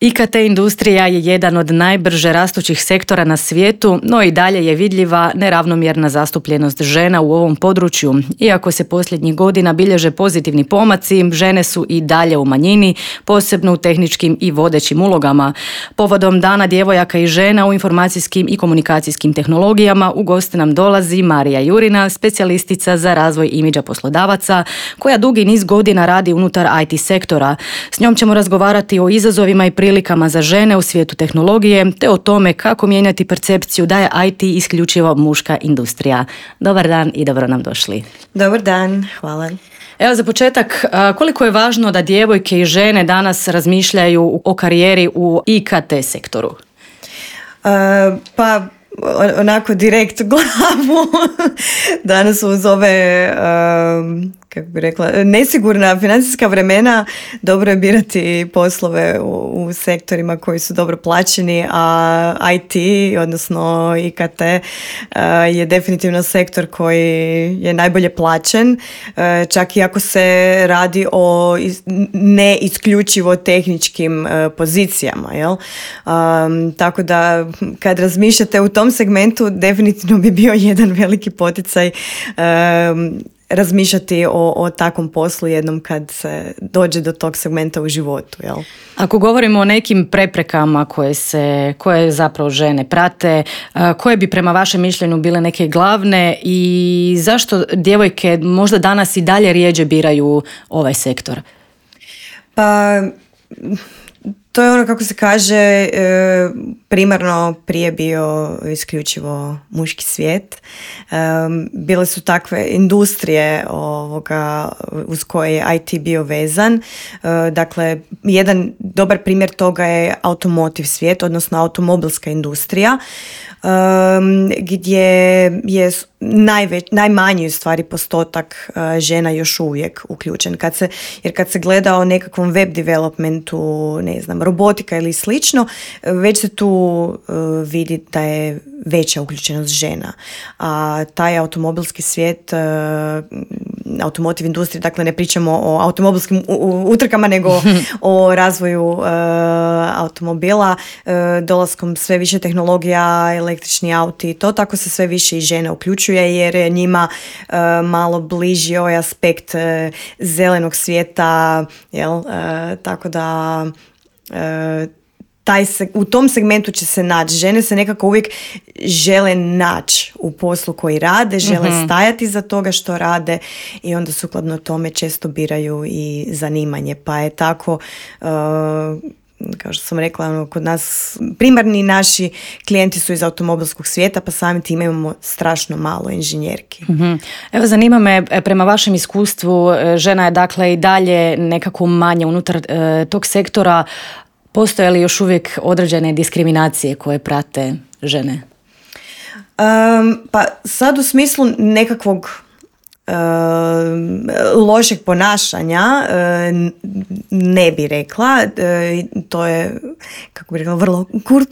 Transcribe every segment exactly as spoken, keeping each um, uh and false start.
I K T industrija je jedan od najbrže rastućih sektora na svijetu, no i dalje je vidljiva neravnomjerna zastupljenost žena u ovom području. Iako se posljednjih godina bilježe pozitivni pomaci, žene su i dalje u manjini, posebno u tehničkim i vodećim ulogama. Povodom Dana djevojaka i žena u informacijskim i komunikacijskim tehnologijama u goste nam dolazi Marija Jurina, specijalistica za razvoj imidža poslodavaca, koja dugi niz godina radi unutar I T sektora. S njom ćemo razgovarati o izazovima i prilikama za žene u svijetu tehnologije, te o tome kako mijenjati percepciju da je I T isključivo muška industrija. Dobar dan i dobro nam došli. Dobar dan, hvala. Evo za početak, koliko je važno da djevojke i žene danas razmišljaju o karijeri u I K T sektoru? Uh, pa onako direkt u glavu. Danas uz ove, uh, kako bi rekla, nesigurna financijska vremena dobro je birati poslove u, u sektorima koji su dobro plaćeni, a I T, odnosno I K T, uh, je definitivno sektor koji je najbolje plaćen, uh, čak i ako se radi o is, ne isključivo tehničkim uh, pozicijama, jel? Um, tako da kad razmišljate u tom segmentu, definitivno bi bio jedan veliki poticaj um, razmišljati o, o takvom poslu jednom kad se dođe do tog segmenta u životu. Jel? Ako govorimo o nekim preprekama koje, se, koje zapravo žene prate, koje bi prema vašem mišljenju bile neke glavne i zašto djevojke možda danas i dalje rijeđe biraju ovaj sektor? Pa... To je ono, kako se kaže, primarno prije bio isključivo muški svijet. Bile su takve industrije ovoga uz koje je I T bio vezan. Dakle, jedan dobar primjer toga je automotive svijet, odnosno automobilska industrija, gdje je najveć, najmanji u stvari postotak žena još uvijek uključen. Kad se, jer kad se gleda o nekakvom web developmentu, ne znam, robotika ili slično, već se tu uh, vidi da je veća uključenost žena. A taj automobilski svijet, uh, automotive industrije, dakle ne pričamo o automobilskim utrkama, nego o razvoju uh, automobila, uh, dolaskom sve više tehnologija, električni auti, to tako se sve više i žene uključuje, jer je njima uh, malo bliži ovaj aspekt uh, zelenog svijeta, jel? Uh, tako da uh, taj se, u tom segmentu će se naći. Žene se nekako uvijek žele naći u poslu koji rade, žele mm-hmm. stajati za toga što rade i onda sukladno tome često biraju i zanimanje. Pa je tako, uh, kao što sam rekla, ono, kod nas primarni naši klijenti su iz automobilskog svijeta, pa samim time imamo strašno malo inženjerki. Mm-hmm. Evo, zanima me, prema vašem iskustvu, žena je dakle i dalje nekako manje unutar uh, tog sektora. Postoje li još uvijek određene diskriminacije koje prate žene? Um, pa sad u smislu nekakvog uh, lošeg ponašanja uh, ne bi rekla. Uh, to je, kako bi rekla, vrlo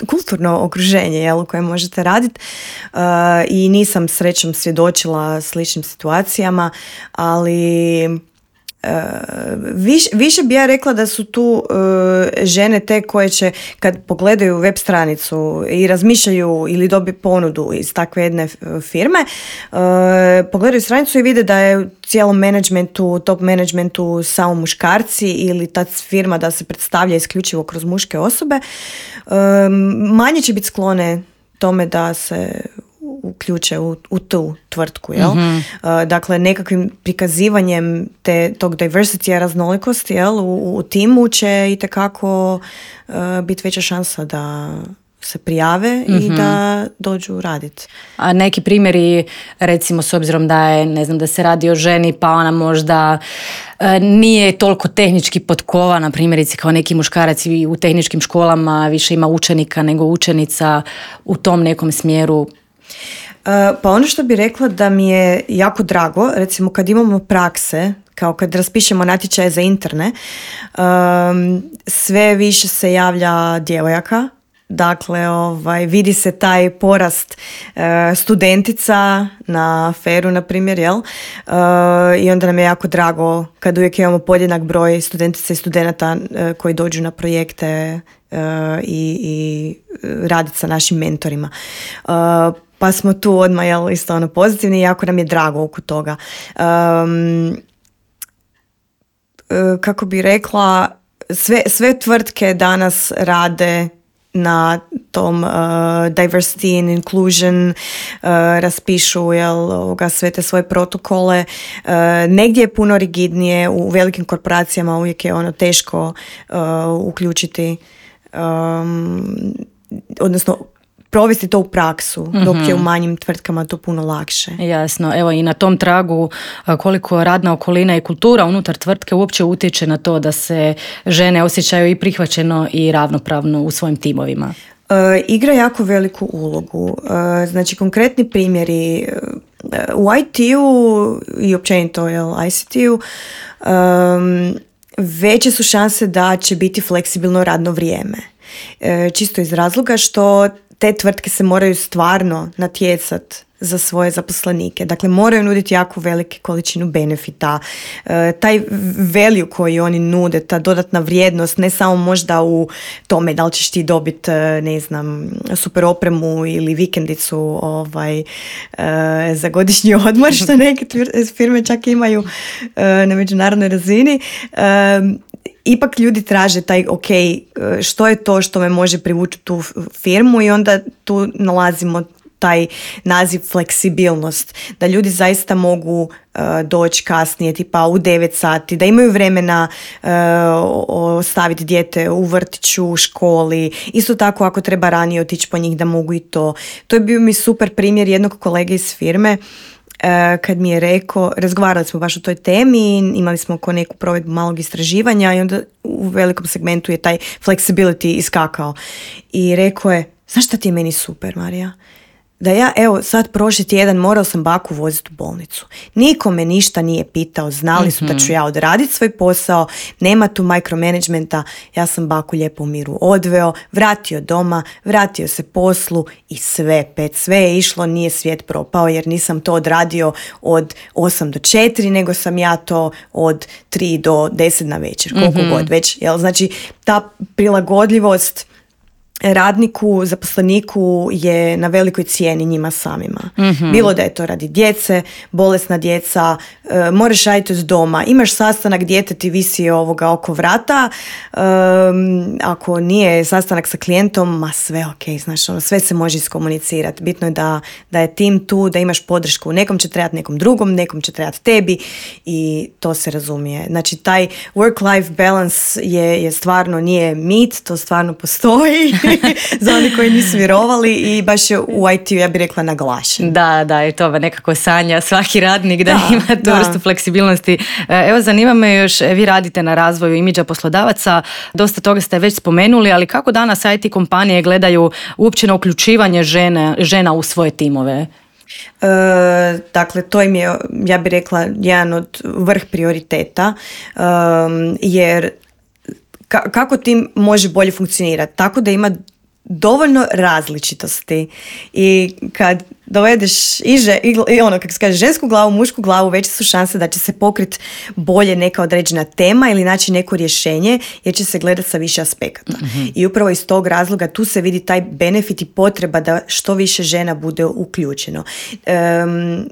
kulturno okruženje, jel, u kojem možete raditi. Uh, I nisam srećom svjedočila sličnim situacijama, ali... Uh, više, više bi ja rekla da su tu uh, žene te koje će, kad pogledaju web stranicu i razmišljaju ili dobiju ponudu iz takve jedne firme, uh, pogledaju stranicu i vide da je u cijelom managementu, top managementu samo muškarci ili ta firma da se predstavlja isključivo kroz muške osobe, uh, manje će biti sklone tome da se uključe u, u tu tvrtku, jel? Mm-hmm. Uh, dakle, nekakvim prikazivanjem te, tog diversity, raznolikosti, jel? U, u timu će itekako uh, biti veća šansa da se prijave mm-hmm. i da dođu raditi. A neki primjeri, recimo s obzirom da je, ne znam, da se radi o ženi, pa ona možda e, nije toliko tehnički potkovana, primjerice kao neki muškarac i u tehničkim školama više ima učenika nego učenica u tom nekom smjeru. Uh, pa ono što bi rekla da mi je jako drago, recimo kad imamo prakse, kao kad raspišemo natječaje za interne, um, sve više se javlja djevojaka. Dakle, ovaj, vidi se taj porast uh, studentica na feru, na primjer, jel? Uh, I onda nam je jako drago kad uvijek imamo podjednak broj studentica i studenata uh, koji dođu na projekte uh, i, i raditi sa našim mentorima. Uh, pa smo tu odmah jel, isto ono pozitivni i jako nam je drago oko toga. Um, uh, kako bi rekla, sve, sve tvrtke danas rade na tom uh, diversity and inclusion, uh, raspišu jel, ovoga, sve te svoje protokole. Uh, negdje je puno rigidnije, u velikim korporacijama uvijek je ono teško uh, uključiti, um, odnosno provesti to u praksu, mm-hmm. dok je u manjim tvrtkama to puno lakše. Jasno, evo i na tom tragu koliko radna okolina i kultura unutar tvrtke uopće utječe na to da se žene osjećaju i prihvaćeno i ravnopravno u svojim timovima. Uh, igra jako veliku ulogu. Uh, znači konkretni primjeri uh, u I T-u i općenito jel, I C T-u um, veće su šanse da će biti fleksibilno radno vrijeme. Uh, čisto iz razloga što te tvrtke se moraju stvarno natjecati za svoje zaposlenike. Dakle, moraju nuditi jako velike količinu benefita. E, taj value koji oni nude, ta dodatna vrijednost, ne samo možda u tome da li ćeš ti dobiti, ne znam, super opremu ili vikendicu ovaj, e, za godišnji odmor, što neke firme čak imaju e, na međunarodnoj razini. E, Ipak ljudi traže taj, ok, što je to što me može privući tu firmu i onda tu nalazimo taj naziv fleksibilnost, da ljudi zaista mogu uh, doći kasnije, tipa u devet sati, da imaju vremena uh, ostaviti dijete u vrtiću, u školi, isto tako ako treba ranije otići po njih da mogu i to. To je bio mi super primjer jednog kolege iz firme, Uh, kad mi je rekao, razgovarali smo baš o toj temi, imali smo oko neku provedbu malog istraživanja i onda u velikom segmentu je taj flexibility iskakao. I rekao je, znaš šta ti je meni super, Marija? Da ja, evo, sad prošli tjedan morao sam baku voziti u bolnicu. Niko me ništa nije pitao, znali su mm-hmm. da ću ja odraditi svoj posao, nema tu micromanagementa, ja sam baku lijepo u miru odveo, vratio doma, vratio se poslu i sve, pet, sve je išlo, nije svijet propao jer nisam to odradio od osam do četiri, nego sam ja to od tri do deset na večer, koliko mm-hmm. god već. Jel? Znači, ta prilagodljivost radniku, zaposleniku je na velikoj cijeni njima samima. Mm-hmm. Bilo da je to radi djece, bolesna djeca, e, moraš raditi od doma, imaš sastanak, dijete ti visi ovoga oko vrata, e, ako nije sastanak sa klijentom, ma sve ok, znaš, ono, sve se može iskomunicirati. Bitno je da, da je tim tu, da imaš podršku. Nekom će trebati nekom drugom, nekom će trebati tebi i to se razumije. Znači, taj work-life balance je, je stvarno nije mit, to stvarno postoji. Za oni koji nisu vjerovali i baš je u I T-u, ja bih rekla, naglašen. Da, da, i to nekako sanja svaki radnik da, da ima tu vrstu fleksibilnosti. Evo, zanima me još, vi radite na razvoju imidža poslodavaca, dosta toga ste već spomenuli, ali kako danas I T kompanije gledaju uopće na uključivanje žene, žena u svoje timove? E, dakle, to im je, ja bih rekla, jedan od vrh prioriteta, e, jer kako tim može bolje funkcionirati? Tako da ima dovoljno različitosti i kad dovedeš i, že, i, i ono, kako se kaže, žensku glavu, mušku glavu, veće su šanse da će se pokriti bolje neka određena tema ili naći neko rješenje jer će se gledati sa više aspekata. Mm-hmm. I upravo iz tog razloga tu se vidi taj benefit i potreba da što više žena bude uključeno. Um,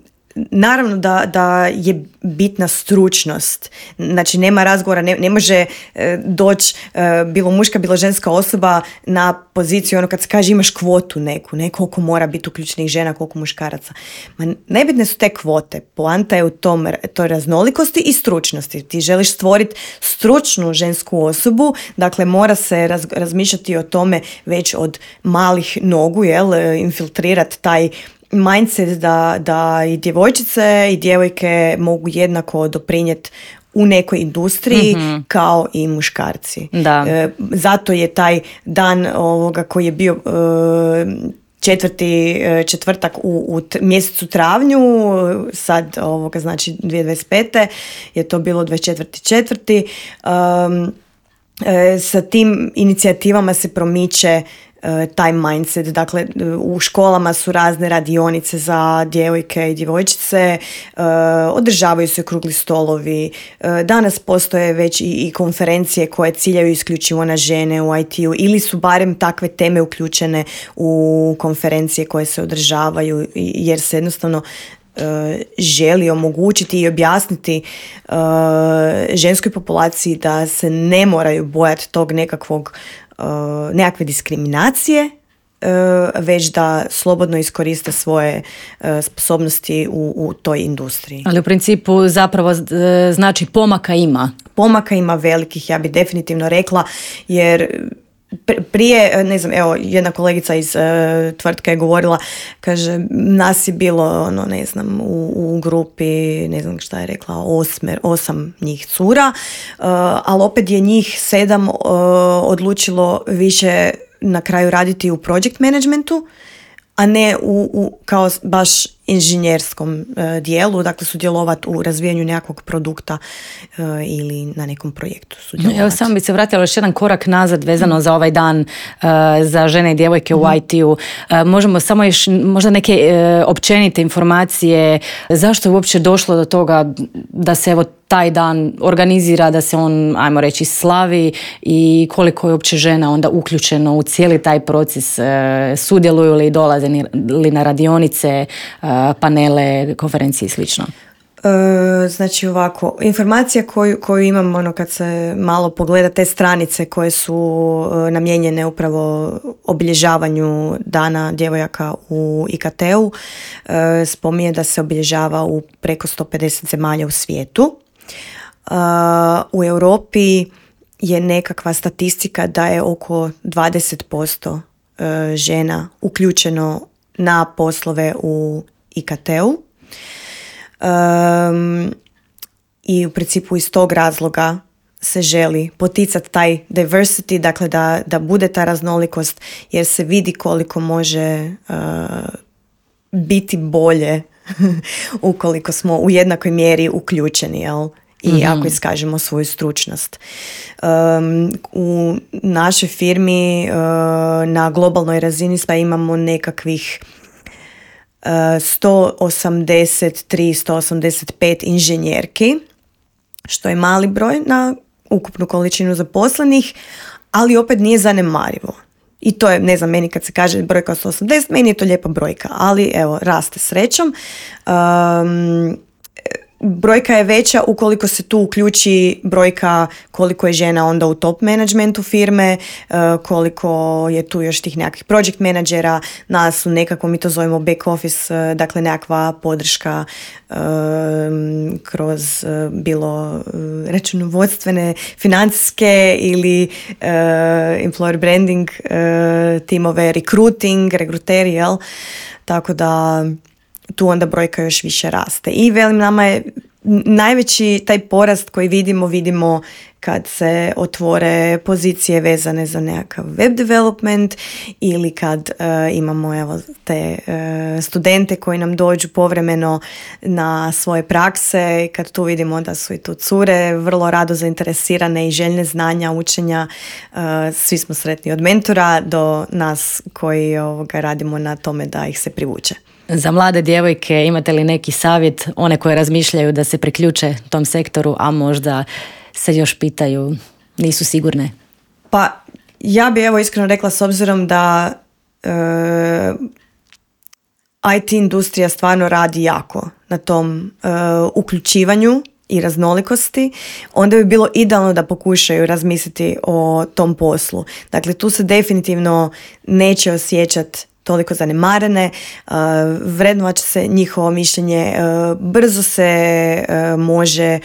Naravno da, da je bitna stručnost, znači nema razgovora, ne, ne može e, doći e, bilo muška, bilo ženska osoba na poziciju, ono kad se kaže imaš kvotu neku, ne koliko mora biti uključenih žena, koliko muškaraca. Ma, nebitne su te kvote, poanta je u tom, toj raznolikosti i stručnosti. Ti želiš stvoriti stručnu žensku osobu, dakle mora se raz, razmišljati o tome već od malih nogu, jel, infiltrirati taj mindset da, da i djevojčice i djevojke mogu jednako doprinijeti u nekoj industriji mm-hmm. kao i muškarci. Da. E, zato je taj dan ovoga koji je bio e, četvrti četvrtak u, u t- mjesecu travnju, sad ovoga znači dvije tisuće dvadeset pete je to bilo dvadeset četvrti četvrti Um, e, sa tim inicijativama se promiče taj mindset. Dakle, u školama su razne radionice za djevojke i djevojčice, održavaju se okrugli stolovi. Danas postoje već i, i konferencije koje ciljaju isključivo na žene u I T-u ili su barem takve teme uključene u konferencije koje se održavaju jer se jednostavno želi omogućiti i objasniti uh, ženskoj populaciji da se ne moraju bojati tog nekakvog uh, nekakve diskriminacije, uh, već da slobodno iskoriste svoje uh, sposobnosti u, u toj industriji. Ali u principu zapravo znači pomaka ima. Pomaka ima velikih, ja bih definitivno rekla, jer prije, ne znam, evo, jedna kolegica iz uh, tvrtke je govorila, kaže, nas je bilo, ono, ne znam, u, u grupi, ne znam šta je rekla, osmer, osam njih cura, uh, ali opet je njih sedam uh, odlučilo više na kraju raditi u project managementu, a ne u, u kao baš inženjerskom uh, dijelu, dakle sudjelovati u razvijanju nekakvog produkta uh, ili na nekom projektu sudjelovati. Evo, samo bi se vratila još jedan korak nazad vezano mm. za ovaj dan uh, za žene i djevojke mm. u I T-u. Uh, možemo samo još možda neke uh, općenite informacije zašto je uopće došlo do toga da se evo taj dan organizira, da se on, ajmo reći, slavi i koliko je uopće žena onda uključeno u cijeli taj proces, uh, sudjeluju li, dolaze li na radionice, uh, panele, konferencije i slično? E, znači ovako, informacija koju, koju imam ono, kad se malo pogleda te stranice koje su e, namijenjene upravo obilježavanju dana djevojaka u I K T-u, e, spominje da se obilježava u preko sto pedeset zemalja u svijetu. E, u Europi je nekakva statistika da je oko dvadeset posto e, žena uključeno na poslove u I K T-u. Um, i u principu iz tog razloga se želi poticati taj diversity, dakle da, da bude ta raznolikost jer se vidi koliko može uh, biti bolje ukoliko smo u jednakoj mjeri uključeni, jel? I mm-hmm. ako iskažemo svoju stručnost. Um, u našoj firmi uh, na globalnoj razini pa imamo nekakvih sto osamdeset tri do sto osamdeset pet inženjerki, što je mali broj na ukupnu količinu zaposlenih, ali opet nije zanemarivo. I to je, ne znam, meni kad se kaže brojka sto osamdeset, meni je to lijepa brojka, ali evo, raste srećom. Um, Brojka je veća ukoliko se tu uključi brojka koliko je žena onda u top managementu firme, koliko je tu još tih nekakvih project menadžera, nas u nekako, mi to zovemo back office, dakle nekakva podrška um, kroz bilo računovodstvene, financijske ili uh, employer branding uh, timove, recruiting, rekruteri, jel? Tako da tu onda brojka još više raste. I velim, nama je najveći taj porast koji vidimo, vidimo kad se otvore pozicije vezane za nekakav web development ili kad uh, imamo evo, te uh, studente koji nam dođu povremeno na svoje prakse i kad tu vidimo da su i tu cure vrlo rado zainteresirane i željne znanja, učenja. Uh, svi smo sretni od mentora do nas koji ovoga, radimo na tome da ih se privuče. Za mlade djevojke imate li neki savjet, one koje razmišljaju da se priključe tom sektoru, a možda se još pitaju, nisu sigurne? Pa ja bi evo iskreno rekla, s obzirom da e, I T industrija stvarno radi jako na tom e, uključivanju i raznolikosti, onda bi bilo idealno da pokušaju razmisliti o tom poslu. Dakle, tu se definitivno neće osjećati toliko zanemarene, uh, vrednovat će se njihovo mišljenje, uh, brzo se uh, može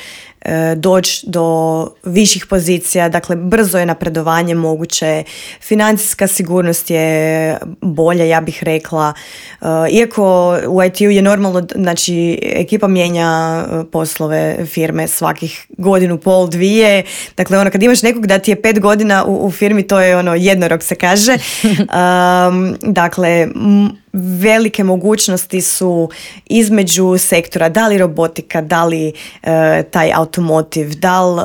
uh, doći do viših pozicija, dakle brzo je napredovanje moguće, financijska sigurnost je bolja, ja bih rekla. Uh, iako u I T-u je normalno, znači ekipa mijenja poslove firme svakih godinu, pol, dvije, dakle ono kad imaš nekog da ti je pet godina u, u firmi, to je ono jednorog se kaže. Um, dakle, m- velike mogućnosti su između sektora, da li robotika, da li e, taj automotiv, da li e,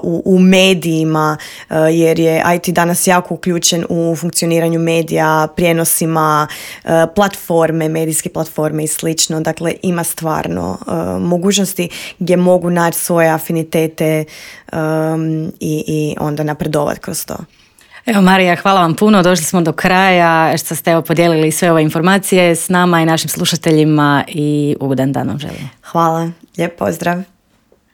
u, u medijima, e, jer je I T danas jako uključen u funkcioniranju medija, prijenosima, e, platforme, medijske platforme i slično. Dakle, ima stvarno e, mogućnosti gdje mogu naći svoje afinitete e, i, i onda napredovati kroz to. Evo Marija, hvala vam puno, došli smo do kraja što ste evo podijelili sve ove informacije s nama i našim slušateljima i ugodan dan vam želim. Hvala, lijep pozdrav.